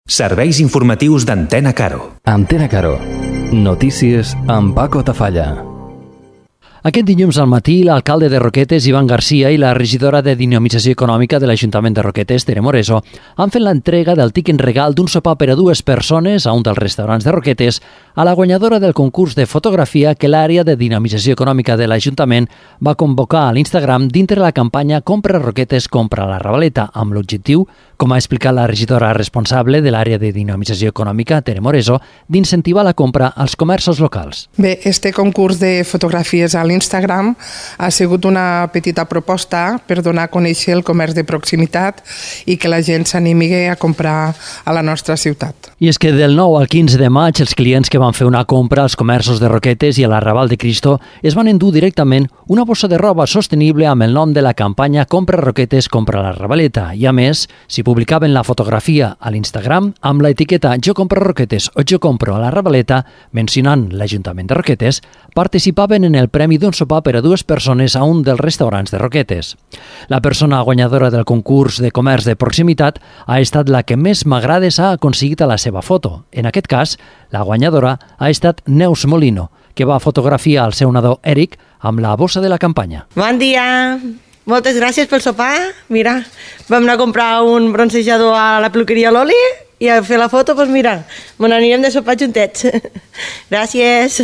Serveis informatius d'Antena Caro. Antena Caro. Notícies amb Paco Tafalla. Aquest dilluns al matí, l'alcalde de Roquetes, Ivan Garcia, i la regidora de Dinamització Econòmica de l'Ajuntament de Roquetes, Tere Moreso, han fet l'entrega del tiquet regal d'un sopar per a 2 persones a un dels restaurants de Roquetes a la guanyadora del concurs de fotografia que l'àrea de Dinamització Econòmica de l'Ajuntament va convocar a l'Instagram dintre la campanya Compra Roquetes, compra la Ravaleta, amb l'objectiu, com ha explicat la regidora responsable de l'àrea de Dinamització Econòmica, Tere Moreso, d'incentivar la compra als comerços locals. Bé, este concurs de fotografies a l'Instagram ha sigut una petita proposta per donar a conèixer el comerç de proximitat i que la gent s'animi a comprar a la nostra ciutat. I és que del 9 al 15 de maig els clients que van fer una compra als comerços de Roquetes i a la Raval de Cristo es van endur directament una bossa de roba sostenible amb el nom de la campanya Compra Roquetes, compra la Ravaleta. I a més, si publicaven la fotografia a l'Instagram amb l'etiqueta Jo compro Roquetes o Jo compro a la Ravaleta, mencionant l'Ajuntament de Roquetes, participaven en el premi d'un sopar per a 2 persones a un dels restaurants de Roquetes. La persona guanyadora del concurs de comerç de proximitat ha estat la que més m'agrades ha aconseguit a la seva foto. En aquest cas, la guanyadora ha estat Neus Molino, que va fotografiar el seu nadó Eric amb la bossa de la campanya. Bon dia! Moltes gràcies pel sopar. Mira, vam anar a comprar un bronzejador a la peluqueria Loli i a fer la foto, doncs mira, me n'anirem de sopar juntets. Gràcies.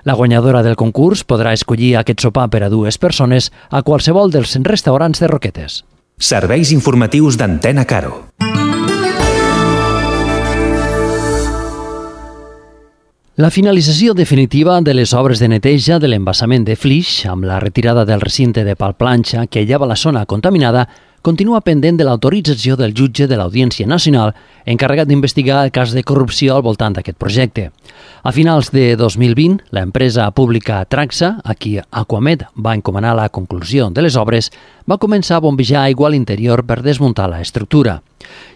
La guanyadora del concurs podrà escollir aquest sopar per a 2 persones a qualsevol dels restaurants de Roquetes. Serveis informatius d'Antena Caro. La finalització definitiva de les obres de neteja de l'embassament de Flix, amb la retirada del recinte de Palplanxa que aïllava la zona contaminada, continua pendent de l'autorització del jutge de l'Audiència Nacional encarregat d'investigar el cas de corrupció al voltant d'aquest projecte. A finals de 2020, l'empresa pública Traxa, a qui Aquamed va encomanar la conclusió de les obres, va començar a bombejar aigua a l'interior per desmuntar l'estructura.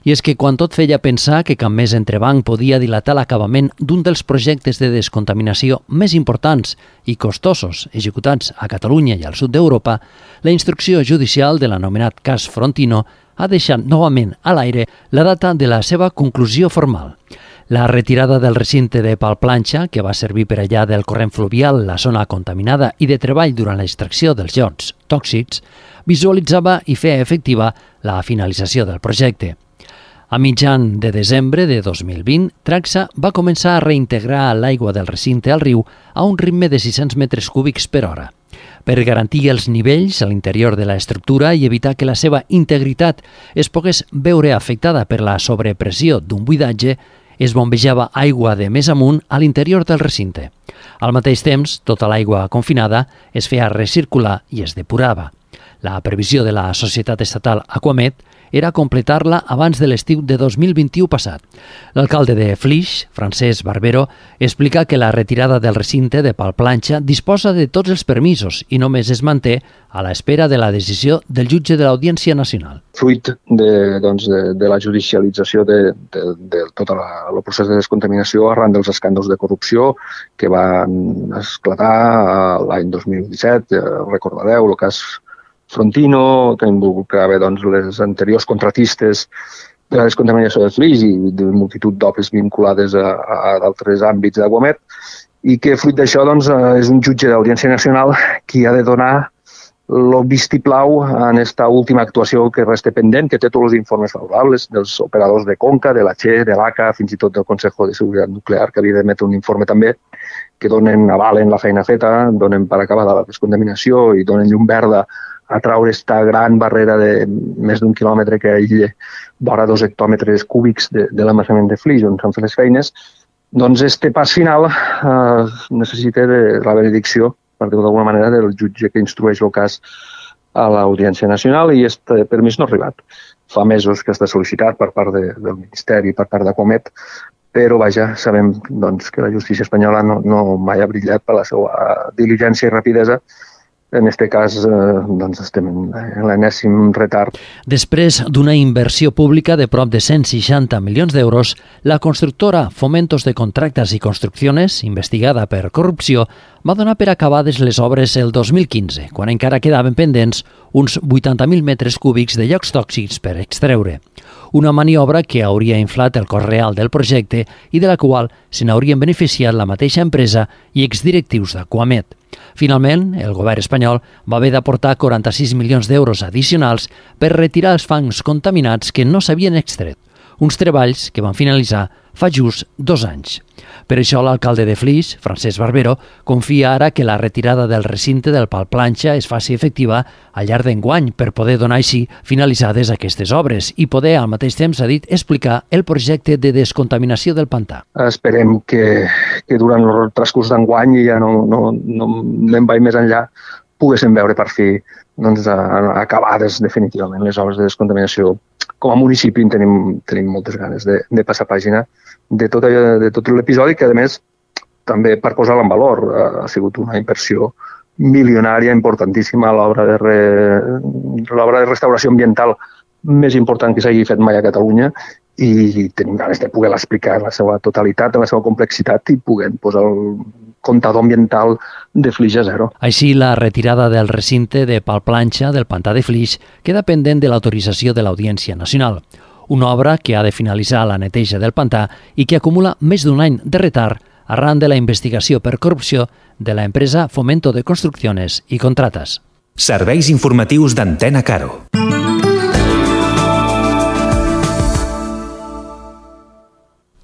I és que quan tot feia pensar que cap més entrebanc podia dilatar l'acabament d'un dels projectes de descontaminació més importants i costosos executats a Catalunya i al sud d'Europa, la instrucció judicial de l'anomenat cas Frontino ha deixat novament a l'aire la data de la seva conclusió formal. La retirada del recinte de Palplanxa, que va servir per allà del corrent fluvial, la zona contaminada i de treball durant l'extracció dels llots tòxics, visualitzava i feia efectiva la finalització del projecte. A mitjan de desembre de 2020, Traxa va començar a reintegrar l'aigua del recinte al riu a un ritme de 600 metres cúbics per hora. Per garantir els nivells a l'interior de l'estructura i evitar que la seva integritat es pogués veure afectada per la sobrepressió d'un buidatge, es bombejava aigua de més amunt a l'interior del recinte. Al mateix temps, tota l'aigua confinada es feia recircular i es depurava. La previsió de la societat estatal Aquamed era completar-la abans de l'estiu de 2021 passat. L'alcalde de Flix, Francesc Barbero, explica que la retirada del recinte de Palplanxa disposa de tots els permisos i només es manté a l'espera de la decisió del jutge de l'Audiència Nacional. Fruit de la judicialització de tot el procés de descontaminació arran dels escàndols de corrupció que van esclatar l'any 2017, recordareu, el cas Frontino, que involucrava les anteriors contratistes de la descontaminació de Flix i de multitud d'obres vinculades a d'altres àmbits d'Aquamed, i que fruit d'això és un jutge d'Audiència Nacional qui ha de donar el vistiplau en esta última actuació que resta pendent, que té tots els informes favorables dels operadors de Conca, de la Che, de l'ACA, fins i tot del Consejo de Seguretat Nuclear, que havia d'emetre un informe també, que avalen la feina feta, donen per acabada la descontaminació i donen llum verda a traure aquesta gran barrera de més d'un quilòmetre que aïlla vora 2 hectòmetres cúbics de l'embassament de Flix, on s'han fet les feines. Doncs este pas final necessita de la benedicció, per dir-ho d'alguna manera, del jutge que instrueix el cas a l'Audiència Nacional, i aquest permís no ha arribat. Fa mesos que està sol·licitat per part del Ministeri, per part d'Aquamed, però sabem que la justícia espanyola no mai ha brillat per la seva diligència i rapidesa. En aquest cas, estem en l'enèsim retard. Després d'una inversió pública de prop de 160 milions d'euros, la constructora Fomentos de Contractas y Construcciones, investigada per corrupció, va donar per acabades les obres el 2015, quan encara quedaven pendents uns 80.000 metres cúbics de llocs tòxics per extreure. una maniobra que hauria inflat el cost real del projecte i de la qual se n'haurien beneficiat la mateixa empresa i exdirectius d'Aquamed. Finalment, el govern espanyol va haver d'aportar 46 milions d'euros addicionals per retirar els fangs contaminats que no s'havien extret, uns treballs que van finalitzar fa just 2 anys. Per això l'alcalde de Flix, Francesc Barbero, confia ara que la retirada del recinte del Pal Planxa es faci efectiva al llarg d'enguany per poder donar així finalitzades aquestes obres i poder al mateix temps, ha dit, explicar el projecte de descontaminació del pantà. Esperem que durant el transcurs d'enguany, i ja no me'n vaig més enllà, poguéssim veure per fi acabades definitivament les obres de descontaminació. Com a municipi tenim moltes ganes de passar pàgina de tot l'episodi, que a més també per posar-la en valor ha sigut una inversió milionària importantíssima, l'obra de restauració ambiental més important que s'hagi fet mai a Catalunya, i tenim ganes de poder explicar en la seva totalitat, en la seva complexitat, i poder posar el comptador ambiental de Flix a zero. Així, la retirada del recinte de Pal Planxa del pantà de Flix queda pendent de l'autorització de l'Audiència Nacional, una obra que ha de finalitzar la neteja del pantà i que acumula més d'un any de retard arran de la investigació per corrupció de la empresa Fomento de Construcciones y Contratas. Serveis informatius d'Antena Caro.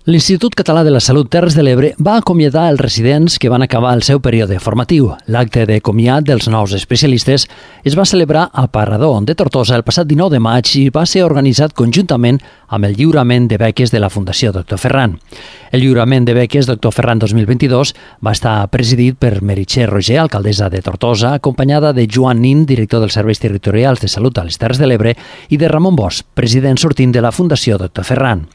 L'Institut Català de la Salut Terres de l'Ebre va acomiadar els residents que van acabar el seu període formatiu. L'acte de comiat dels nous especialistes es va celebrar al Parador de Tortosa el passat 19 de maig i va ser organitzat conjuntament amb el lliurament de beques de la Fundació Dr. Ferran. El lliurament de beques Dr. Ferran 2022 va estar presidit per Meritxell Roger, alcaldessa de Tortosa, acompanyada de Joan Nin, director dels Serveis Territorials de Salut a les Terres de l'Ebre, i de Ramon Bosch, president sortint de la Fundació Dr. Ferran.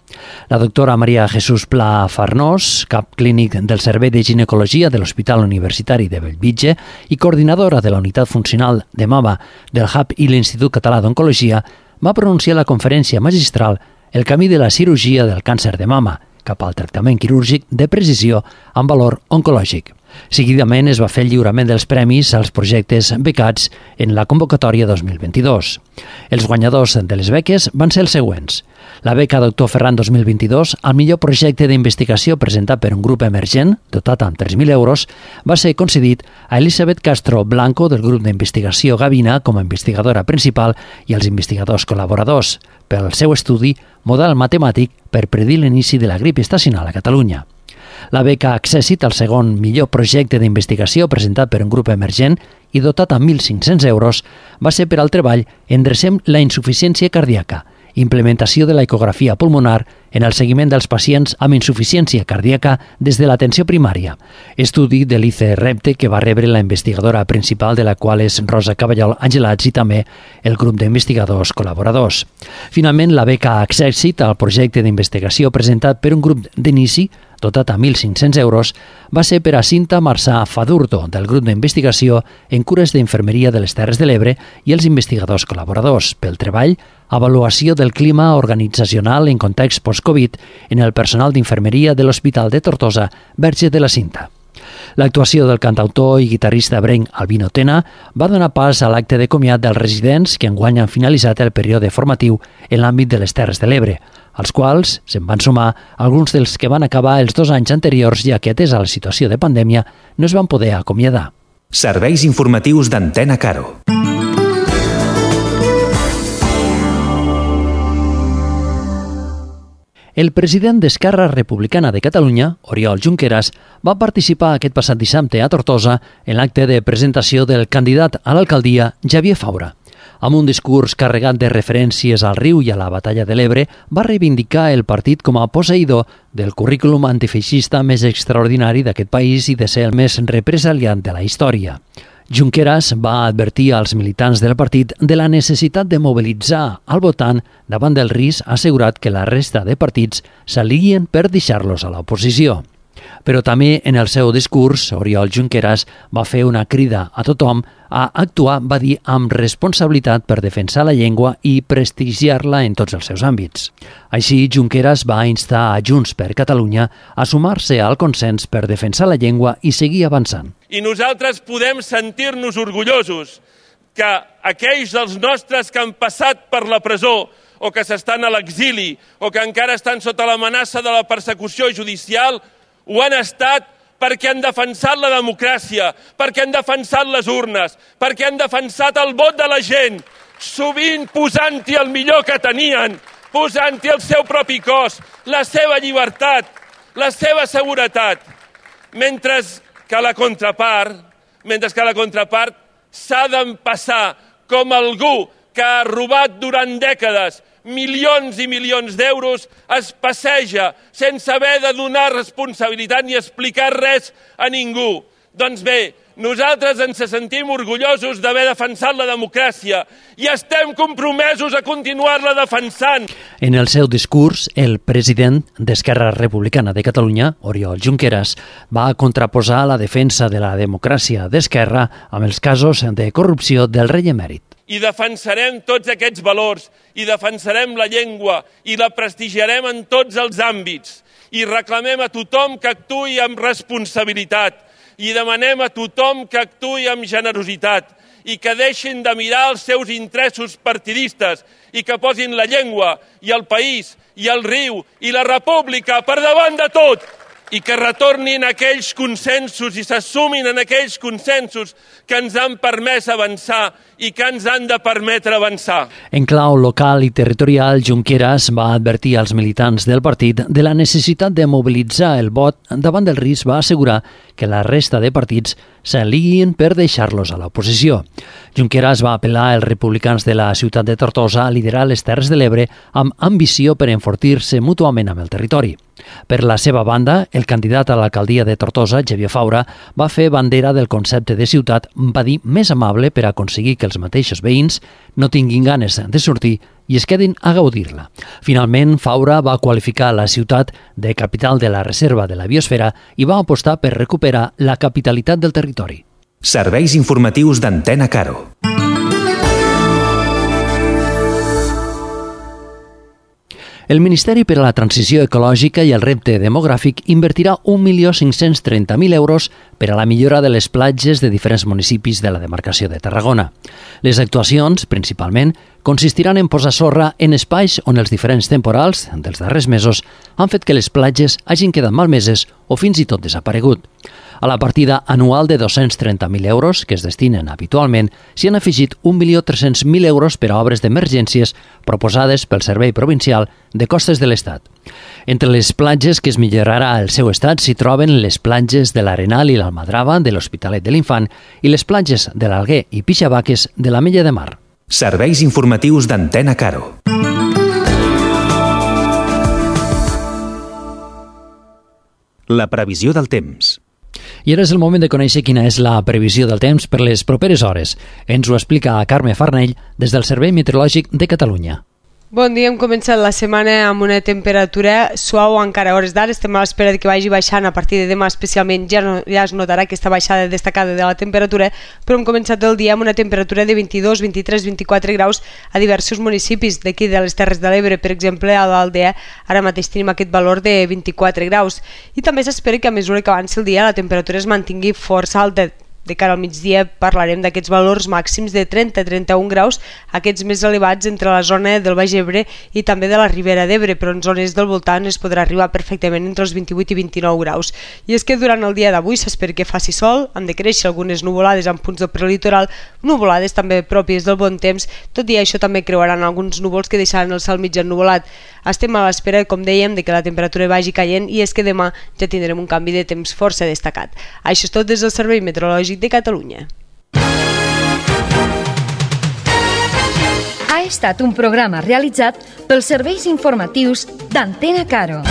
La doctora Maria Jesús Pla Farnós, cap clínic del Servei de Ginecologia de l'Hospital Universitari de Bellvitge i coordinadora de la Unitat Funcional de Mama del HUB i l'Institut Català d'Oncologia, va pronunciar la conferència magistral El camí de la cirurgia del càncer de mama cap al tractament quirúrgic de precisió amb valor oncològic. Seguidament es va fer el lliurament dels premis als projectes becats en la convocatòria 2022. Els guanyadors de les beques van ser els següents. La beca Dr. Ferran 2022 al millor projecte d'investigació presentat per un grup emergent, dotat amb 3.000 euros, va ser concedit a Elisabet Castro Blanco del grup d'investigació Gavina com a investigadora principal i als investigadors col·laboradors pel seu estudi Model matemàtic per predir l'inici de la grip estacional a Catalunya. La beca Accessit, el segon millor projecte d'investigació presentat per un grup emergent i dotat amb 1.500 euros, va ser per al treball Endrecem la insuficiència cardíaca, implementació de l'ecografia pulmonar en el seguiment dels pacients amb insuficiència cardíaca des de l'atenció primària, estudi de l'ICE-REPTE que va rebre la investigadora principal, de la qual és Rosa Caballol Angelats, i també el grup d'investigadors col·laboradors. Finalment, la beca Accessit, el projecte d'investigació presentat per un grup d'inici, dotat a 1.500 euros, va ser per a Cinta Marçà Fadurdo, del grup d'investigació en cures d'infermeria de les Terres de l'Ebre i els investigadors col·laboradors, pel treball Avaluació del clima organitzacional en context post-Covid en el personal d'infermeria de l'Hospital de Tortosa, Verge de la Cinta. L'actuació del cantautor i guitarrista ebrenc Albino Tena va donar pas a l'acte de comiat dels residents que enguany han finalitzat el període formatiu en l'àmbit de les Terres de l'Ebre, als quals se'n van sumar alguns dels que van acabar els 2 anys anteriors, ja que, atesa la situació de pandèmia, no es van poder acomiadar. Serveis informatius d'Antena Caro. El president d'Esquerra Republicana de Catalunya, Oriol Junqueras, va participar aquest passat dissabte a Tortosa en l'acte de presentació del candidat a l'alcaldia, Xavier Faura. Amb un discurs carregat de referències al riu i a la batalla de l'Ebre, va reivindicar el partit com a posseïdor del currículum antifeixista més extraordinari d'aquest país i de ser el més represaliat de la història. Junqueras va advertir als militants del partit de la necessitat de mobilitzar al votant davant del risc assegurat que la resta de partits s'alien per deixar-los a l'oposició. Però també en el seu discurs, Oriol Junqueras va fer una crida a tothom a actuar, va dir, amb responsabilitat per defensar la llengua i prestigiar-la en tots els seus àmbits. Així, Junqueras va instar a Junts per Catalunya a sumar-se al consens per defensar la llengua i seguir avançant. I nosaltres podem sentir-nos orgullosos que aquells dels nostres que han passat per la presó o que s'estan a l'exili, o que encara estan sota l'amenaça de la persecució judicial, ho han estat perquè han defensat la democràcia, perquè han defensat les urnes, perquè han defensat el vot de la gent, sovint posant-hi el millor que tenien, posant-hi el seu propi cos, la seva llibertat, la seva seguretat, mentre que la contrapart s'ha d'empassar com algú que ha robat durant dècades milions i milions d'euros, es passeja sense haver de donar responsabilitat ni explicar res a ningú. Doncs bé, nosaltres ens sentim orgullosos d'haver defensat la democràcia i estem compromesos a continuar-la defensant. En el seu discurs, el president d'Esquerra Republicana de Catalunya, Oriol Junqueras, va contraposar la defensa de la democràcia d'Esquerra amb els casos de corrupció del rei emèrit. I defensarem tots aquests valors, i defensarem la llengua, i la prestigiarem en tots els àmbits. I reclamem a tothom que actuï amb responsabilitat, i demanem a tothom que actuï amb generositat, i que deixin de mirar els seus interessos partidistes, i que posin la llengua, i el país, i el riu, i la república per davant de tot, i que retornin aquells consensos i s'assumin en aquells consensos que ens han permès avançar i que ens han de permetre avançar. En clau local i territorial, Junqueras va advertir als militants del partit de la necessitat de mobilitzar el vot davant del risc. Va assegurar que la resta de partits s'aliguin per deixar-los a l'oposició. Junqueras va apel·lar als republicans de la ciutat de Tortosa a liderar les Terres de l'Ebre amb ambició per enfortir-se mútuament amb el territori. Per la seva banda, el candidat a l'alcaldia de Tortosa, Xavier Faura, va fer bandera del concepte de ciutat, va dir, més amable per aconseguir que els mateixos veïns no tinguin ganes de sortir i es quedin a gaudir-la. Finalment, Faura va qualificar la ciutat de capital de la reserva de la biosfera i va apostar per recuperar la capitalitat del territori. Serveis informatius d'Antena Caro. El Ministeri per a la Transició Ecològica i el Repte Demogràfic invertirà 1.530.000 euros per a la millora de les platges de diferents municipis de la demarcació de Tarragona. Les actuacions, principalment, consistiran en posar sorra en espais on els diferents temporals dels darrers mesos han fet que les platges hagin quedat malmeses o fins i tot desaparegut. A la partida anual de 230.000 euros que es destinen habitualment, s'hi han afegit 1.300.000 euros per a obres d'emergències proposades pel Servei Provincial de Costes de l'Estat. Entre les platges que es millorarà el seu estat s'hi troben les platges de l'Arenal i l'Almadrava de l'Hospitalet de l'Infant i les platges de l'Alguer i Pixabaques de l'Ametlla de Mar. Serveis informatius d'Antena Caro. La previsió del temps. I ara és el moment de conèixer quina és la previsió del temps per les properes hores. Ens ho explica Carme Farnell des del Servei Meteorològic de Catalunya. Bon dia, hem començat la setmana amb una temperatura suau encara a hores d'ara. Estem a l'espera que vagi baixant a partir de demà, especialment ja es notarà aquesta baixada destacada de la temperatura, però hem començat el dia amb una temperatura de 22, 23, 24 graus a diversos municipis d'aquí de les Terres de l'Ebre. Per exemple, a l'Aldea ara mateix tenim aquest valor de 24 graus i també s'espera que a mesura que avanci el dia la temperatura es mantingui força alta. De cara al migdia parlarem d'aquests valors màxims de 30-31 graus, aquests més elevats entre la zona del Baix Ebre i també de la Ribera d'Ebre, però en zones del voltant es podrà arribar perfectament entre els 28 i 29 graus. I és que durant el dia d'avui s'espera que faci sol, han de créixer algunes nuvolades en punts del prelitoral, nuvolades també pròpies del bon temps, tot i això també creuaran alguns núvols que deixaran el cel mig ennuvolat. Estem a l'espera, com dèiem, de que la temperatura vagi caient i és que demà ja tindrem un canvi de temps força destacat. Això és tot des del Servei Meteorològic de Catalunya. Ha estat un programa realitzat pels serveis informatius d'Antena Caro.